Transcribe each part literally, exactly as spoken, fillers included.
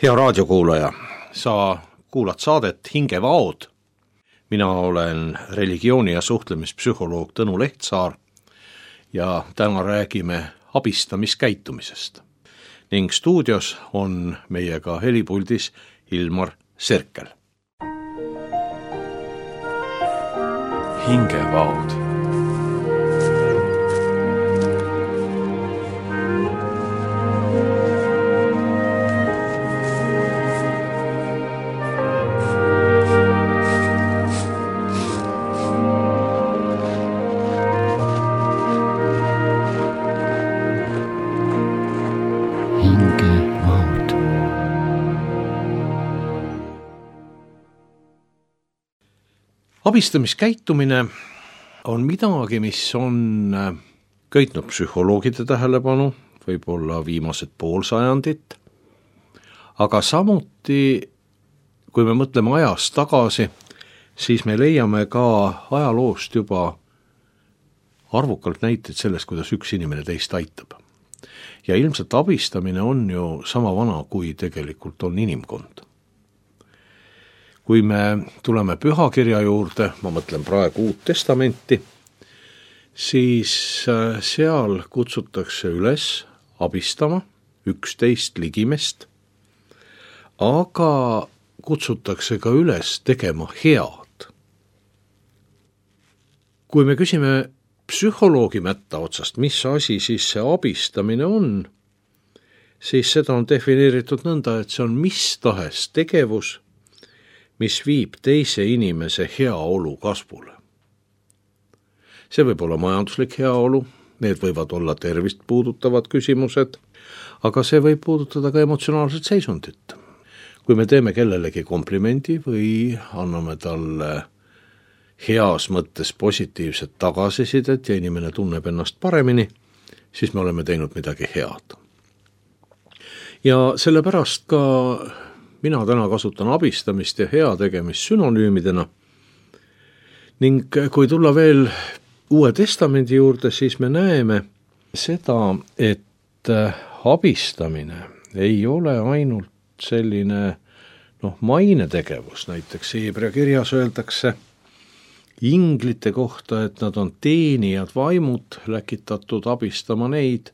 Hea raadiokuulaja, sa kuulad saadet Hingevaod. Mina olen religiooni- ja suhtlemispsühholoog Tõnu Lehtsaar ja täna räägime abistamiskäitumisest. Ning stuudios on meiega helipuldis Ilmar Serkel. Hingevaod. Abistamiskäitumine on midagi, mis on köitnud psühholoogide tähelepanu, võib-olla viimased pool sajandit, aga samuti, kui me mõtleme ajas tagasi, siis me leiame ka ajaloost juba arvukalt näiteid sellest, kuidas üks inimene teist aitab. Ja ilmselt abistamine on ju sama vana, kui tegelikult on inimkond. Kui me tuleme pühakirja juurde, ma mõtlen praegu Uut Testamenti, siis seal kutsutakse üles abistama üksteist ligimest, aga kutsutakse ka üles tegema head. Kui me küsime psühholoogi mätta otsast, mis asi siis see abistamine on, siis seda on defineeritud nõnda, et see on mis tahes tegevus, mis viib teise inimese heaolu kasvule. See võib olla majanduslik heaolu, need võivad olla tervist puudutavad küsimused, aga see võib puudutada ka emotsionaalset seisundit. Kui me teeme kellelegi komplimendi või anname talle heas mõttes positiivset tagasisidet ja inimene tunneb ennast paremini, siis me oleme teinud midagi head. Ja sellepärast ka mina täna kasutan abistamist ja heategemist sünonüümidena. Ning kui tulla veel Uue Testamendi juurde, siis me näeme seda, et abistamine ei ole ainult selline noh, mainetegevus. Näiteks Hebra kirjas öeldakse inglite kohta, et nad on teenijad vaimud, läkitatud abistama neid,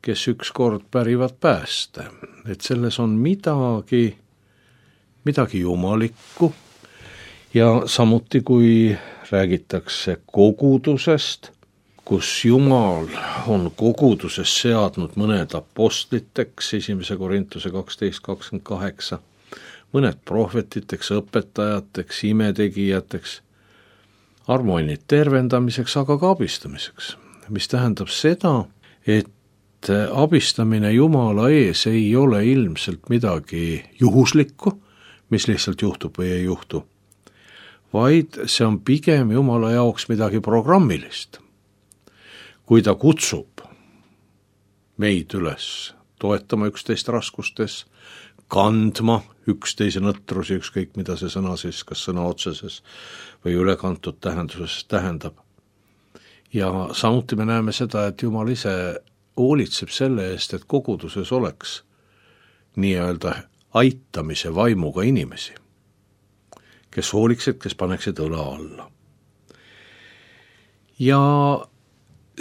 kes ükskord pärivad pääste. Et selles on midagi, midagi jumalikku ja samuti kui räägitakse kogudusest, kus Jumal on koguduses seadnud mõned apostliteks, esimese Korintuse kaksteist kakskümmend kaheksa, mõned prohvetiteks, õpetajateks, imetegijateks, armoinid tervendamiseks, aga ka abistamiseks. Mis tähendab seda, et abistamine Jumala ees ei ole ilmselt midagi juhuslikku, mis lihtsalt juhtub või ei juhtu, vaid see on pigem Jumala jaoks midagi programmilist. Kui ta kutsub meid üles toetama üksteist raskustes, kandma üksteise nõtrusi, ükskõik mida see sõna siis, kas sõna otseses või ülekantud tähenduses tähendab. Ja samuti me näeme seda, et Jumal ise hoolitseb selle eest, et koguduses oleks nii-öelda aitamise vaimuga inimesi, kes hooliksid, kes paneksid õla alla. Ja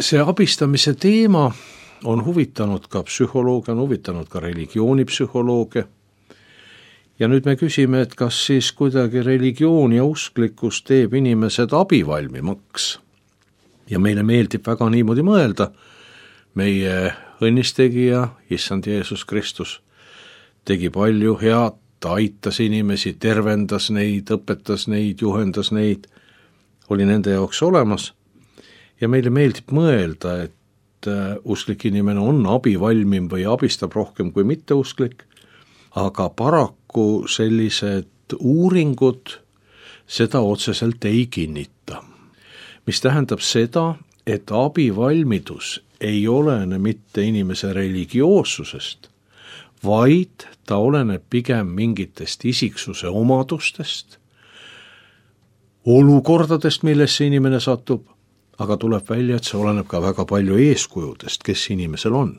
see abistamise teema on huvitanud ka psühholooge, on huvitanud ka religioonipsühholooge. Ja nüüd me küsime, et kas siis kuidagi religioon ja usklikkus teeb inimesed abivalmimaks. Ja meile meeldib väga niimoodi mõelda, meie õnnistegija, issand Jeesus Kristus, tegi palju head, ta aitas inimesi, tervendas neid, õpetas neid, juhendas neid, oli nende jaoks olemas. Ja meile meeldib mõelda, et usklik inimene on abivalmim või abistab rohkem kui mitteusklik, aga paraku sellised uuringud seda otseselt ei kinnita. Mis tähendab seda, et abivalmidus ei olene mitte inimese religioossusest, vaid ta oleneb pigem mingitest isiksuse omadustest, olukordadest, millesse inimene satub, aga tuleb välja, et see oleneb ka väga palju eeskujudest, kes inimesel on.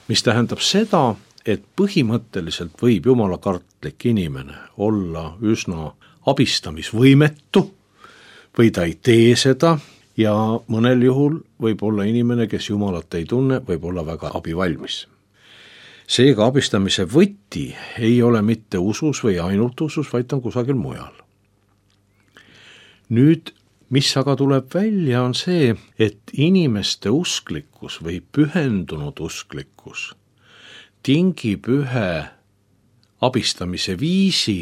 Mis tähendab seda, et põhimõtteliselt võib jumalakartlik inimene olla üsna abistamisvõimetu või ta ei tee seda ja mõnel juhul võib olla inimene, kes jumalat ei tunne, võib olla väga abivalmis. Seega abistamise võti ei ole mitte usus või ainult usus, vaid on kusagil mujal. Nüüd, mis aga tuleb välja, on see, et inimeste usklikkus või pühendunud usklikkus tingib ühe abistamise viisi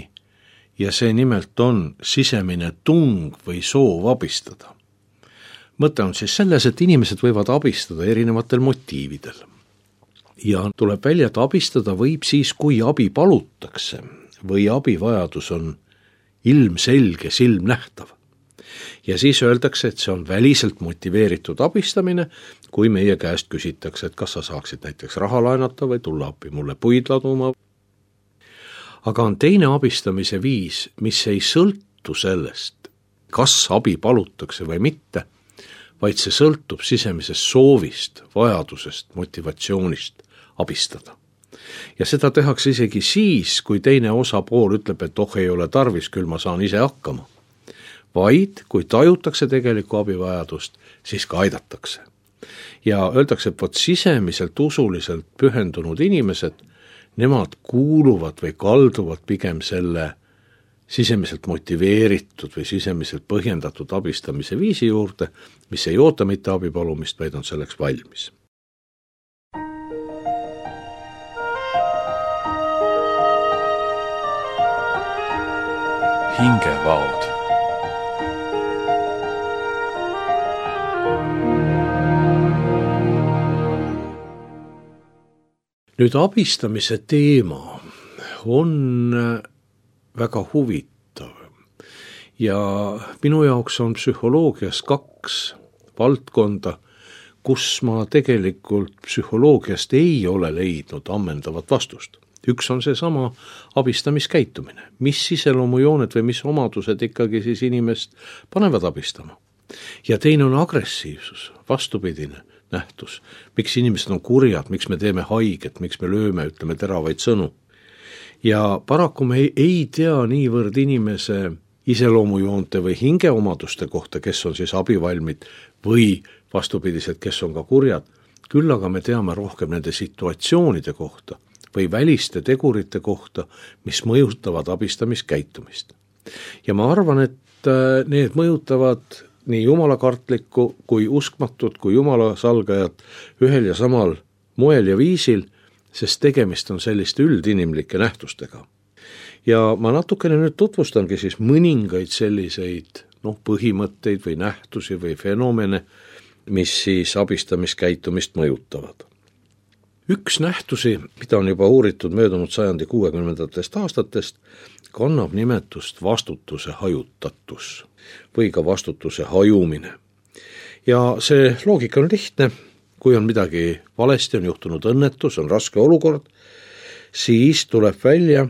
ja see nimelt on sisemine tung või soov abistada. Mõte on siis selles, et inimesed võivad abistada erinevatel motiividel. Ja tuleb välja, et abistada võib siis, kui abi palutakse või abivajadus on ilmselge, silmnähtav. Ja siis öeldakse, et see on väliselt motiveeritud abistamine, kui meie käest küsitakse, et kas sa saaksid näiteks raha laenata või tulla appi mulle puid laduma. Aga on teine abistamise viis, mis ei sõltu sellest, kas abi palutakse või mitte, vaid see sõltub sisemisest soovist, vajadusest, motivatsioonist abistada. Ja seda tehakse isegi siis, kui teine osapool ütleb, et oh, ei ole tarvis, küll ma saan ise hakkama. Vaid, kui tajutakse tegelikku abivajadust, siis ka aidatakse. Ja öeldakse, et võt sisemiselt usuliselt pühendunud inimesed, nemad kuuluvad või kalduvad pigem selle sisemiselt motiveeritud või sisemiselt põhjendatud abistamise viisi juurde, mis ei oota mitte abipalumist, vaid on selleks valmis. Hingevaod. Nüüd abistamise teema on väga huvitav ja minu jaoks on psühholoogias kaks valdkonda, kus ma tegelikult psühholoogiast ei ole leidnud ammendavat vastust. Üks on see sama abistamiskäitumine, mis iseloomujooned või mis omadused ikkagi siis inimest panevad abistama. Ja teine on agressiivsus, vastupidine nähtus, miks inimesed on kurjad, miks me teeme haiget, miks me lööme, ütleme teravaid sõnu. Ja paraku me ei, ei tea niivõrd inimese iseloomujoonte või hingeomaduste kohta, kes on siis abivalmid või vastupidiselt, kes on ka kurjad, küll aga me teame rohkem nende situatsioonide kohta või väliste tegurite kohta, mis mõjutavad abistamiskäitumist. Ja ma arvan, et need mõjutavad nii jumalakartlikku kui uskmatut kui jumala salgajat ühel ja samal moel ja viisil, sest tegemist on selliste üldinimlike nähtustega. Ja ma natukene nüüd tutvustangi siis mõningaid selliseid noh, põhimõtteid või nähtusi või fenomene, mis siis abistamiskäitumist mõjutavad. Üks nähtusi, mida on juba uuritud möödunud sajandi kuuekümnendatest aastatest, kannab nimetust vastutuse hajutatus või ka vastutuse hajumine. Ja see loogika on lihtne, kui on midagi valesti, on juhtunud õnnetus, on raske olukord, siis tuleb välja,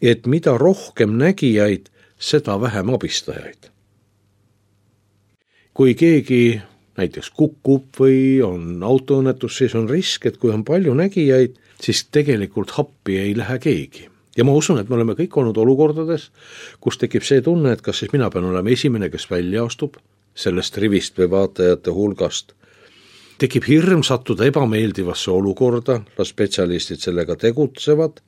et mida rohkem nägijaid, seda vähem abistajaid. Kui keegi näiteks kukub või on autoõnnetus, siis on risk, et kui on palju nägijaid, siis tegelikult happi ei lähe keegi. Ja ma usun, et me oleme kõik olnud olukordades, kus tekib see tunne, et kas siis mina pean olema esimene, kes välja astub sellest rivist või vaatajate hulgast. Tekib hirm sattuda ebameeldivasse olukorda, las spetsialistid sellega tegutsevad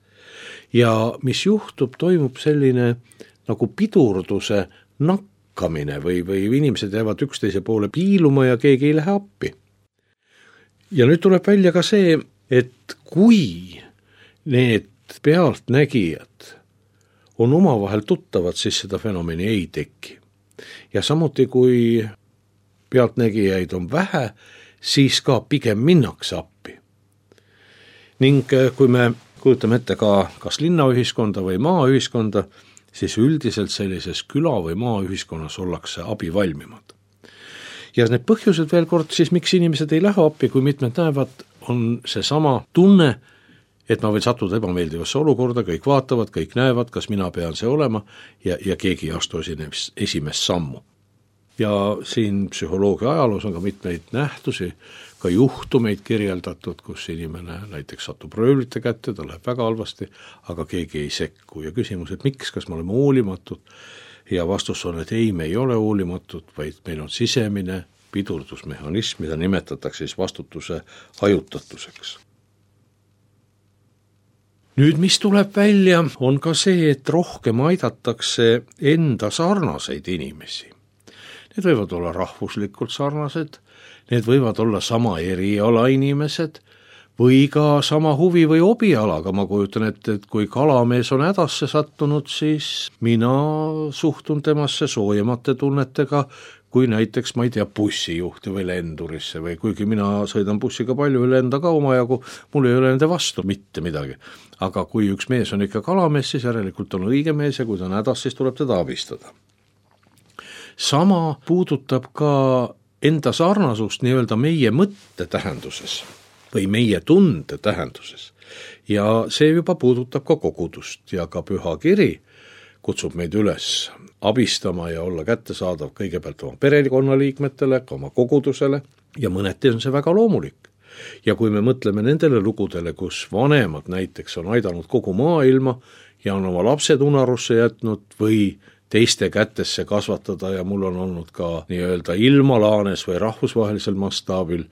ja mis juhtub, toimub selline nagu pidurduse nakkamine või, või inimesed jäävad üksteise poole piiluma ja keegi ei lähe appi. Ja nüüd tuleb välja ka see, et kui need pealtnägijad on omavahel tuttavad, siis seda fenomeni ei teki. Ja samuti kui pealtnägijaid on vähe, siis ka pigem minnakse appi. Ning kui me kujutame ette ka kas linnaühiskonda või maaühiskonda, siis üldiselt sellises küla- või maaühiskonnas ollakse abivalmimad. Ja need põhjused veel kord siis, miks inimesed ei lähe appi, kui mitmed näevad, on see sama tunne, et ma võin sattuda ebameeldivasse olukorda, kõik vaatavad, kõik näevad, kas mina pean see olema ja, ja keegi ei astu esimest sammu. Ja siin psühholoogia ajaloos on ka mitmeid nähtusi, ka juhtumeid kirjeldatud, kus inimene näiteks satub röövlite kätte, ta läheb väga halvasti, aga keegi ei sekku. Ja küsimus, et miks, kas me oleme hoolimatud? Ja vastus on, et ei, me ei ole hoolimatud, vaid meil on sisemine pidurdusmehhanism, mida nimetatakse siis vastutuse hajutatuseks. Nüüd, mis tuleb välja, on ka see, et rohkem aidatakse enda sarnaseid inimesi. Need võivad olla rahvuslikult sarnased, need võivad olla sama eriala inimesed või ka sama huvi või obialaga. Ma kujutan ette, et kui kalamees on hädasse sattunud, siis mina suhtun temasse soojemate tunnetega kui näiteks, ma ei tea, bussijuhti või lendurisse või kuigi mina sõidan bussiga palju ja lenda ka omajagu, mul ei ole nende vastu mitte midagi. Aga kui üks mees on ikka kalamees, siis järelikult on õige mees ja kui ta on hädas, siis tuleb teda abistada. Sama puudutab ka enda sarnasust nii-öelda meie mõtte tähenduses või meie tunde tähenduses. Ja see juba puudutab ka kogudust ja ka püha kiri kutsub meid üles abistama ja olla kättesaadav kõigepealt oma perekonnaliikmetele, ka oma kogudusele ja mõneti on see väga loomulik. Ja kui me mõtleme nendele lugudele, kus vanemad näiteks on aidanud kogu maailma ja on oma lapsed unarusse jätnud või teiste kätesse kasvatada ja mul on olnud ka nii-öelda ilmalaanes või rahvusvahelisel mastaabil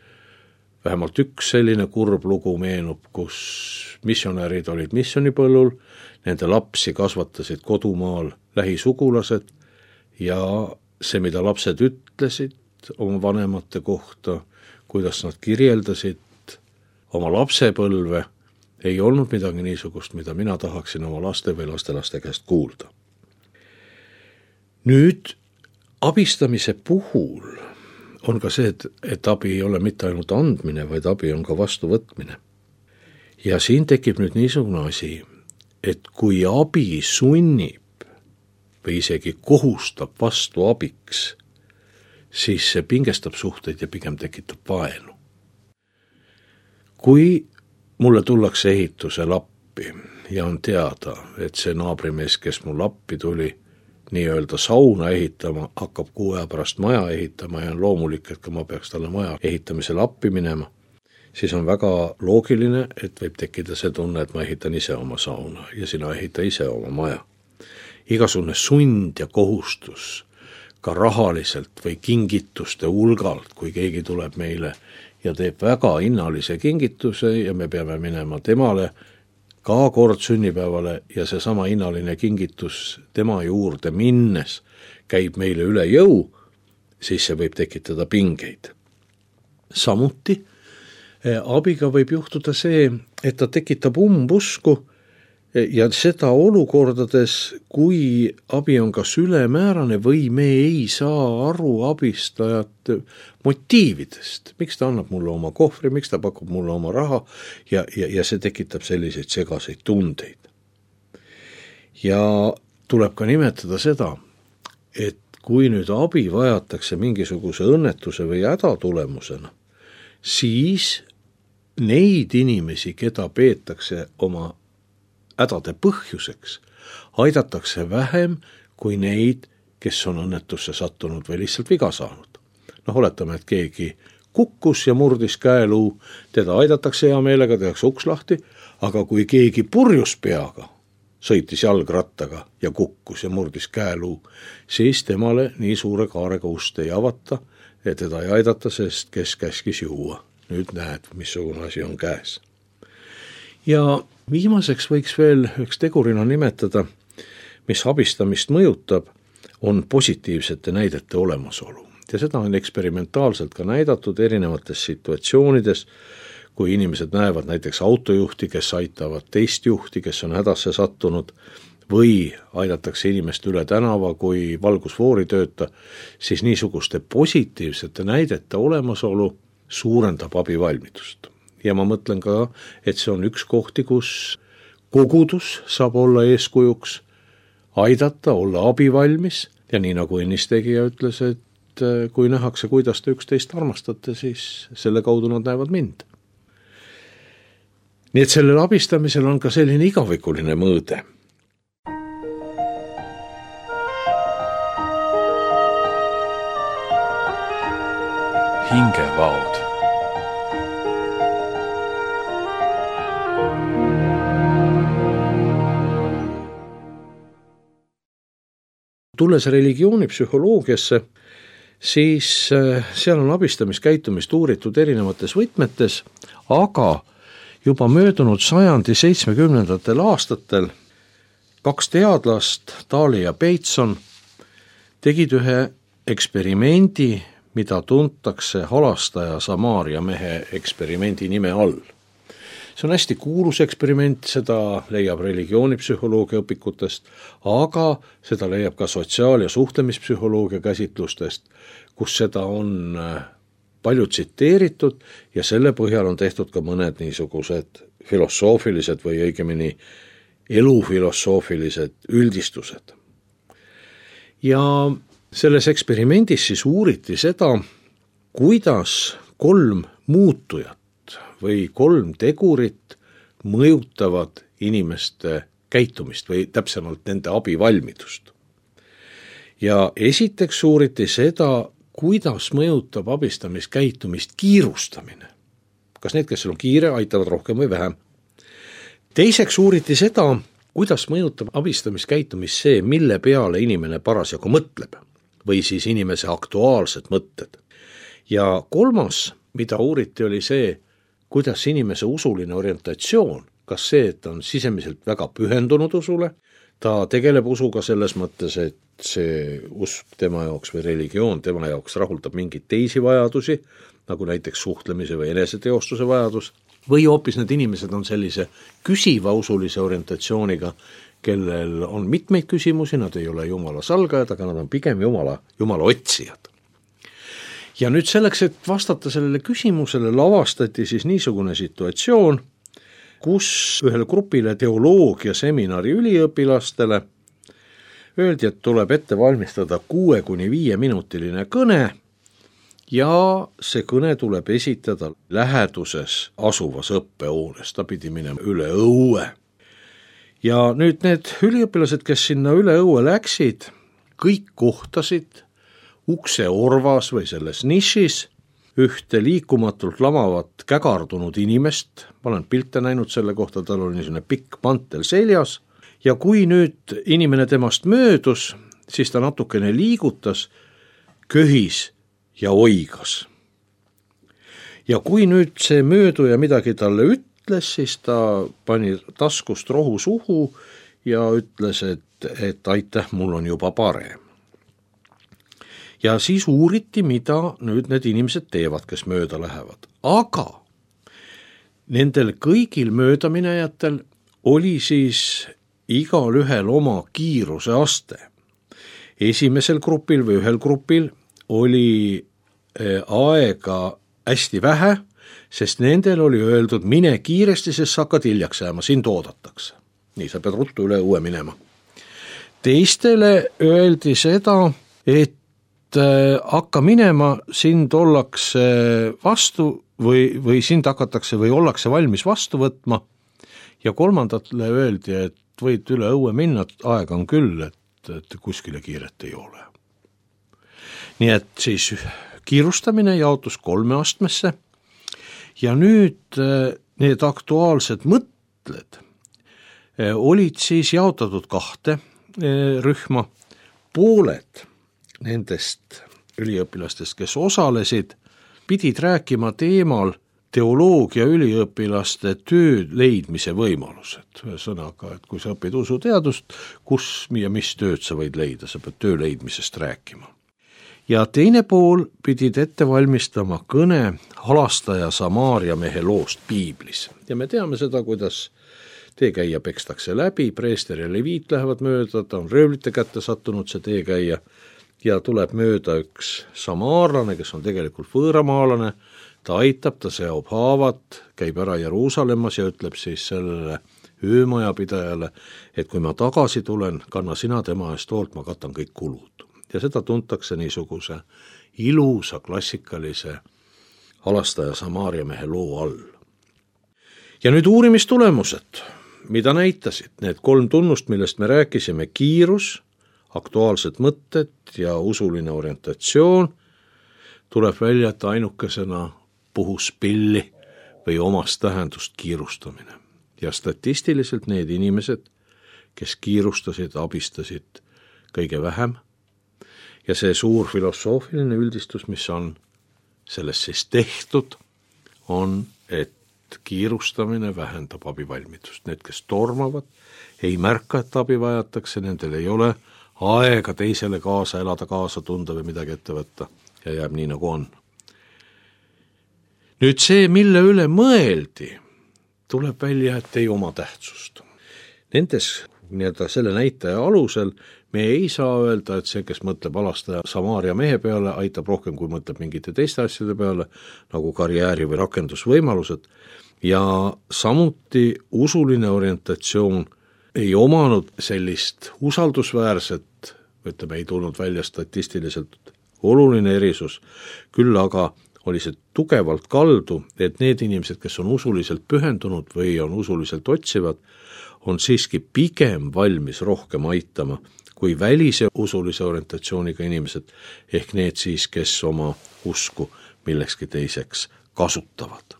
vähemalt üks selline kurb lugu meenub, kus missionärid olid missionipõllul, nende lapsi kasvatasid kodumaal lähisugulased ja see, mida lapsed ütlesid oma vanemate kohta, kuidas nad kirjeldasid oma lapsepõlve, ei olnud midagi niisugust, mida mina tahaksin oma laste või lastelaste käest kuulda. Nüüd abistamise puhul on ka see, et, et abi ei ole mitte ainult andmine, vaid abi on ka vastuvõtmine. Ja siin tekib nüüd niisugune asi, et kui abi sunnib või isegi kohustab vastu abiks, siis see pingestab suhteid ja pigem tekitab vaenu. Kui mulle tullakse ehituse lappi ja on teada, et see naabrimees, kes mul lappi tuli, nii-öelda sauna ehitama, hakkab kuu aja pärast maja ehitama ja on loomulik, et kui ma peaks talle maja ehitamisele appi minema, siis on väga loogiline, et võib tekkida see tunne, et ma ehitan ise oma sauna ja sina ehita ise oma maja. Igasugune sund ja kohustus ka rahaliselt või kingituste hulgalt, kui keegi tuleb meile ja teeb väga hinnalise kingituse ja me peame minema temale ka kord sünnipäevale ja see sama hinnaline kingitus tema juurde minnes käib meile üle jõu, siis see võib tekitada pingeid. Samuti abiga võib juhtuda see, et ta tekitab umbusku ja seda olukordades, kui abi on kas ülemäärane või me ei saa aru abistajat motiividest. Miks ta annab mulle oma kohvri, miks ta pakub mulle oma raha ja, ja, ja see tekitab selliseid segaseid tundeid. Ja tuleb ka nimetada seda, et kui nüüd abi vajatakse mingisuguse õnnetuse või häda tulemusena, siis neid inimesi, keda peetakse oma hädade põhjuseks, aidatakse vähem kui neid, kes on õnnetusse sattunud või lihtsalt viga saanud. Noh, oletame, et keegi kukkus ja murdis käeluu, teda aidatakse hea meelega, tehakse uks lahti, aga kui keegi purjus peaga sõitis jalgrattaga ja kukkus ja murdis käeluu, siis temale nii suure kaarega ust ei avata ja teda ei aidata, sest kes käskis juua. Nüüd näed, missugune asi on käes. Ja viimaseks võiks veel üks tegurina nimetada, mis abistamist mõjutab, on positiivsete näidete olemasolu. Ja seda on eksperimentaalselt ka näidatud erinevates situatsioonides, kui inimesed näevad näiteks autojuhti, kes aitavad teist juhti, kes on hädasse sattunud, või aidatakse inimest üle tänava, kui valgusfoori tööta, siis niisuguste positiivsete näidete olemasolu suurendab abivalmidust. Ja ma mõtlen ka, et see on üks kohti, kus kogudus saab olla eeskujuks, aidata, olla abivalmis ja nii nagu ennist-tegija ütles, et kui nähakse, kuidas te üksteist armastate, siis selle kaudu nad näevad mind. Nii et sellel abistamisel on ka selline igavikuline mõõde. Hingevaod. tulles religioonipsühholoogiasse, siis seal on abistamiskäitumist uuritud erinevates võtmetes, aga juba möödunud sajandi seitsmekümnendatel aastatel kaks teadlast, Daly ja Bateson, tegid ühe eksperimendi, mida tuntakse halastaja Samaaria mehe eksperimendi nime all. See on hästi kuulus eksperiment, seda leiab religioonipsühholoogia õpikutest, aga seda leiab ka sotsiaal- ja suhtlemispsühholoogia käsitlustest, kus seda on palju tsiteeritud ja selle põhjal on tehtud ka mõned niisugused filosoofilised või õigemini elufilosoofilised üldistused. Ja selles eksperimendis siis uuriti seda, kuidas kolm muutujat või kolm tegurit mõjutavad inimeste käitumist või täpsemalt nende abivalmidust. Ja esiteks uuriti seda, kuidas mõjutab abistamiskäitumist kiirustamine. Kas need, kes on kiire, aitavad rohkem või vähem? Teiseks uuriti seda, kuidas mõjutab abistamiskäitumist see, mille peale inimene parasjagu mõtleb või siis inimese aktuaalsed mõtted. Ja kolmas, mida uuriti, oli see, kuidas inimese usuline orientatsioon, kas see, et on sisemiselt väga pühendunud usule, ta tegeleb usuga selles mõttes, et see usk tema jaoks või religioon tema jaoks rahuldab mingeid teisi vajadusi, nagu näiteks suhtlemise või eneseteostuse vajadus, või hoopis need inimesed on sellise küsiva usulise orientatsiooniga, kellel on mitmeid küsimusi, nad ei ole Jumala salgajad, aga nad on pigem Jumala, Jumala otsijad. Ja nüüd selleks, et vastata sellele küsimusele, lavastati siis niisugune situatsioon, kus ühele grupile teoloogia seminari üliõpilastele öeldi, et tuleb ette valmistada kuue kuni viie minutiline kõne ja see kõne tuleb esitada läheduses asuvas õppehoones, ta pidi minema üle õue. Ja nüüd need üliõpilased, kes sinna üle õue läksid, kõik kohtasid ukse orvas või selles nišis ühte liikumatult lamavat kägardunud inimest, ma olen pilte näinud selle kohta, tal oli niisugune pikk mantel seljas, ja kui nüüd inimene temast möödus, siis ta natukene liigutas, köhis ja oigas. Ja kui nüüd see mööduja midagi talle ütles, siis ta pani taskust rohu suhu ja ütles, et, et aitäh, mul on juba parem. Ja siis uuriti, mida nüüd need inimesed teevad, kes mööda lähevad. Aga nendel kõigil möödaminejatel oli siis igal ühel oma kiiruse aste. Esimesel grupil või ühel grupil oli aega hästi vähe, sest nendel oli öeldud, mine kiiresti, sest sa hakkad hiljaks jääma, sind oodatakse. Nii, sa pead ruttu üle õue minema. Teistele öeldi seda, et hakka minema, sind ollakse vastu või, või sind hakatakse või ollakse valmis vastu võtma ja kolmandatele öeldi, et võid üle õue minna, aega on küll, et, et kuskile kiiret ei ole. Nii et siis kiirustamine jaotus kolme astmesse ja nüüd need aktuaalsed mõtted olid siis jaotatud kahte rühma, pooled nendest üliõpilastest, kes osalesid, pidid rääkima teemal teoloogia üliõpilaste töö leidmise võimalused. Ühesõnaga, et kui sa õpid usuteadust, kus ja mis tööd sa võid leida, sa pead töö leidmisest rääkima. Ja teine pool pidid ette valmistama kõne halastaja Samaaria mehe loost piiblis. Ja me teame seda, kuidas teekäija pekstakse läbi, preester ja leviit lähevad mööda, ta on röövlite kätte sattunud see teekäija, ja tuleb mööda üks samaarlane, kes on tegelikult võõramaalane, ta aitab, ta seob haavad, käib ära Jeruusalemmas ja ütleb siis sellele öömajapidajale, et kui ma tagasi tulen, kanna sina tema eest hoolt, ma katan kõik kulud. Ja seda tuntakse niisuguse ilusa klassikalise halastaja Samaaria mehe loo all. Ja nüüd uurimistulemused, mida näitasid need kolm tunnust, millest me rääkisime, kiirus, aktuaalsed mõtted ja usuline orientatsioon, tuleb välja, et ainukesena puhus pilli või omast tähendust kiirustamine. Ja statistiliselt need inimesed, kes kiirustasid, abistasid kõige vähem Ja see suur filosoofiline üldistus, mis on selles siis tehtud, on, et kiirustamine vähendab abivalmidust. Need, kes tormavad, ei märka, et abi vajatakse, nendel ei ole aega teisele kaasa elada, kaasa tunda või midagi ette võtta ja jääb nii, nagu on. Nüüd see, mille üle mõeldi, tuleb välja, et ei oma tähtsust. Nendes nii-öelda selle näitaja alusel me ei saa öelda, et see, kes mõtleb alastaja Samaaria mehe peale, aitab rohkem, kui mõtleb mingite teiste asjade peale, nagu karjääri või rakendusvõimalused, ja samuti usuline orientatsioon ei omanud sellist usaldusväärset, ütleme, ei tulnud välja statistiliselt oluline erisus, küll aga oli see tugevalt kaldu, et need inimesed, kes on usuliselt pühendunud või on usuliselt otsivad, on siiski pigem valmis rohkem aitama kui välise usulise orientatsiooniga inimesed, ehk need siis, kes oma usku millekski teiseks kasutavad.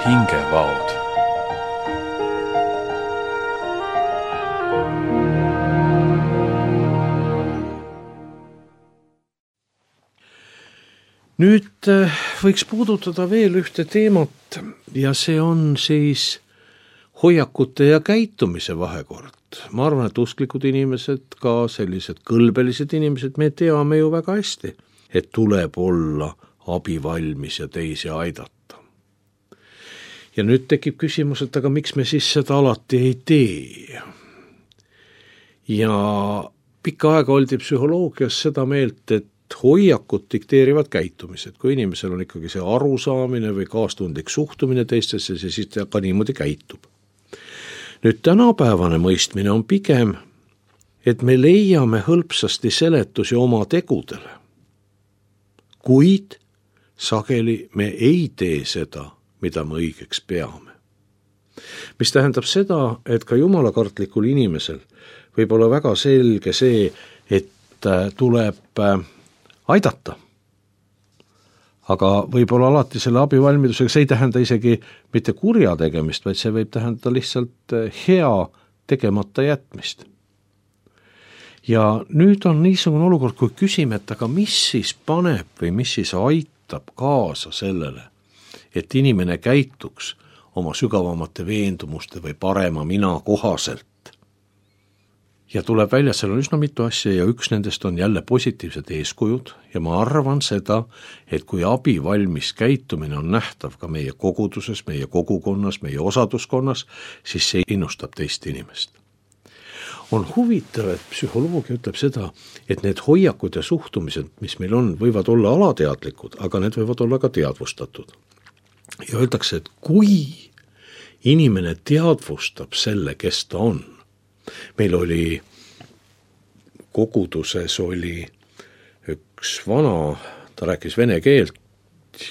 Hingevaod. Nüüd võiks puudutada veel ühte teemat ja see on siis hoiakute ja käitumise vahekord. Ma arvan, et usklikud inimesed, ka sellised kõlbelised inimesed, me teame ju väga hästi, et tuleb olla abivalmis ja teisi aidata. Ja nüüd tekib küsimus, et aga miks me siis seda alati ei tee? Ja pikka aega oldi psühholoogias seda meelt, et hoiakud dikteerivad käitumised, kui inimesel on ikkagi see arusaamine või kaastundlik suhtumine teistesse, siis ta ka niimoodi käitub. Nüüd tänapäevane mõistmine on pigem, et me leiame hõlpsasti seletusi oma tegudele, kuid sageli me ei tee seda, mida me õigeks peame. Mis tähendab seda, et ka jumalakartlikul inimesel võib olla väga selge see, et tuleb aidata. Aga võib-olla alati selle abivalmidusega, see ei tähenda isegi mitte kurja tegemist, vaid see võib tähendada lihtsalt hea tegemata jätmist. Ja nüüd on niisugune olukord, kui küsime, et aga mis siis paneb või mis siis aitab kaasa sellele, et inimene käituks oma sügavamate veendumuste või parema mina kohaselt. Ja tuleb välja, seal on üsna mitu asja ja üks nendest on jälle positiivsed eeskujud ja ma arvan seda, et kui abivalmis käitumine on nähtav ka meie koguduses, meie kogukonnas, meie osaduskonnas, siis see innustab teist inimest. On huvitav, et psühholoogia ütleb seda, et need hoiakud ja suhtumised, mis meil on, võivad olla alateadlikud, aga need võivad olla ka teadvustatud. Ja öeldakse, et kui inimene teadvustab selle, kes ta on, meil oli koguduses oli üks vana, ta rääkis vene keelt,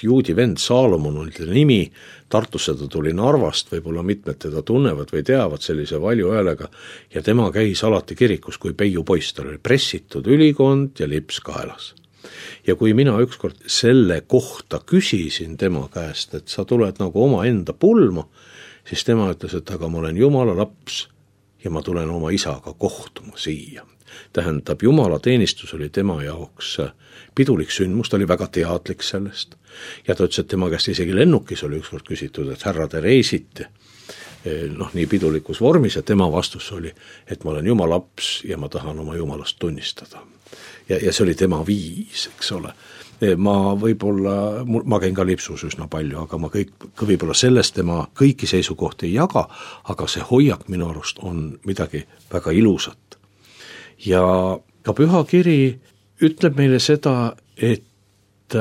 juudi vend Saalomon oli ta nimi, Tartusse ta tuli Narvast, võib-olla mitmed teda tunnevad või teavad sellise valju häälega ja tema käis alati kirikus kui peiu poiss, tal oli pressitud ülikond ja lips kaelas. Ja kui mina ükskord selle kohta küsisin tema käest, et sa tuled nagu oma enda pulma, siis tema ütles, et aga ma olen Jumala laps ja ma tulen oma isaga kohtuma siia. Tähendab, Jumala teenistus oli tema jaoks pidulik sündmus, ta oli väga teadlik sellest. Ja ta ütles, et tema käest isegi lennukis oli ükskord küsitud, et härra, te reisite noh, nii pidulikus vormis ja tema vastus oli, et ma olen Jumala laps ja ma tahan oma Jumalast tunnistada. Ja, ja see oli tema viis, eks ole. Ma võib-olla, ma käin ka lipsus üsna palju, aga ma kõik, võib-olla sellest tema kõiki seisukohti ei jaga, aga see hoiak minu arust on midagi väga ilusat. Ja ka püha kiri ütleb meile seda, et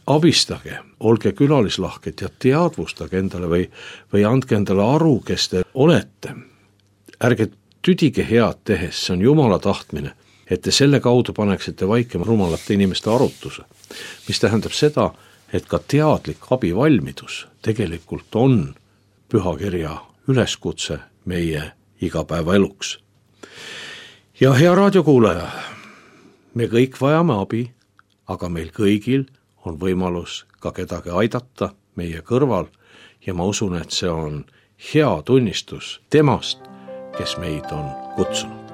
abistage, olge külalislahked ja teadvustage endale või, või andke endale aru, kes te olete. Ärge tüdige head tehes, see on Jumala tahtmine, et te selle kaudu paneksite vaikima rumalate inimeste arutuse, mis tähendab seda, et ka teadlik abivalmidus tegelikult on pühakirja üleskutse meie igapäevaeluks. Ja hea raadiokuulaja, me kõik vajame abi, aga meil kõigil on võimalus ka kedagi aidata meie kõrval ja ma usun, et see on hea tunnistus temast, kes meid on kutsunud.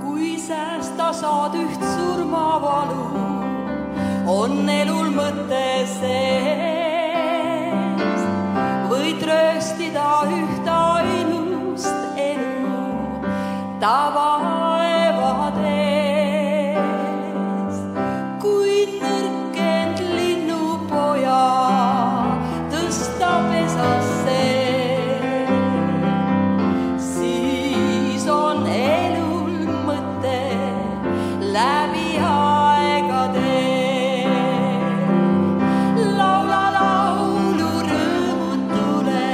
Kui säästa saad üht surmavalu, on elul mõte sees. Võid rööstida üht ainust elu tavaevad ees. Kui nõrkend linnupoja tõsta pesasse, siis on elul mõte läbi aegade. Laula laulu rõõmutule,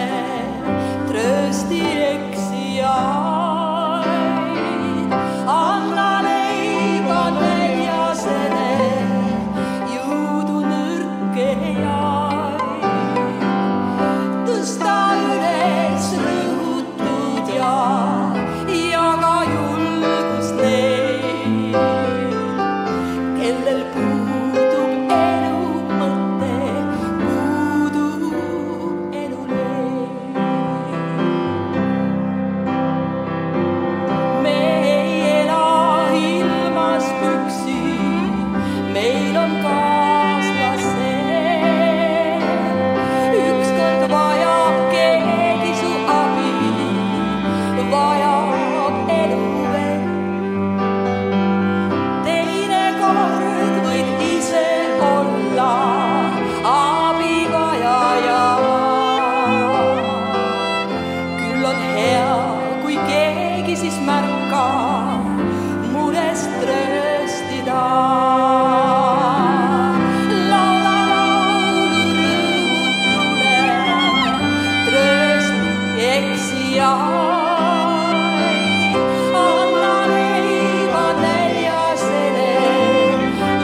tröösti eksijaid. Anna leiba neljasele, jõudu nõrkejaid. Tõsta üles rõhutud ja jaga julgust neid, kellel puudub elu mõte, puudub elu leid. Me ei ela ilmas püksi, meil on kaaslased. Ükskord vajab keegi su abi, vajab elu veel. Teine kord võid ise olla abivajaja. Küll on hea, kui keegi siis märkab murest trööstida. Laula laulu rõõmutule, tröösti eksijaid. Anna leiba neljasele,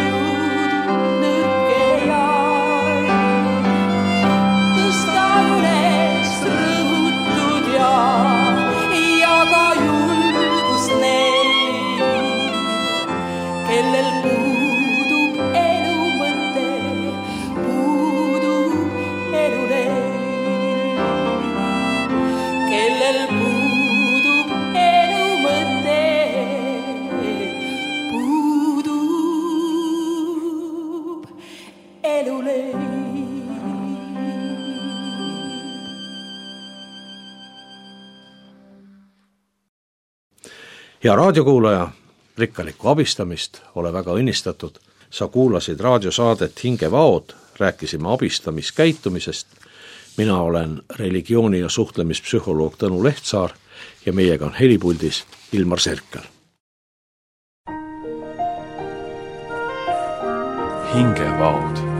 jõudu nõrkejaid. Tõsta üles rõhutud ja jaga julgust neid, kellel puudub elu mõte, puudub elu leid. Kellel puudub elu mõte, puudub elu leid. Ja raadiokuulaja, rikkalikku abistamist, ole väga õnnistatud. Sa kuulasid raadiosaadet Hingevaod, rääkisime abistamiskäitumisest. Mina olen religiooni- ja suhtlemispsühholoog Tõnu Lehtsaar ja meiega on helipuldis Ilmar Serkel. Hingevaod.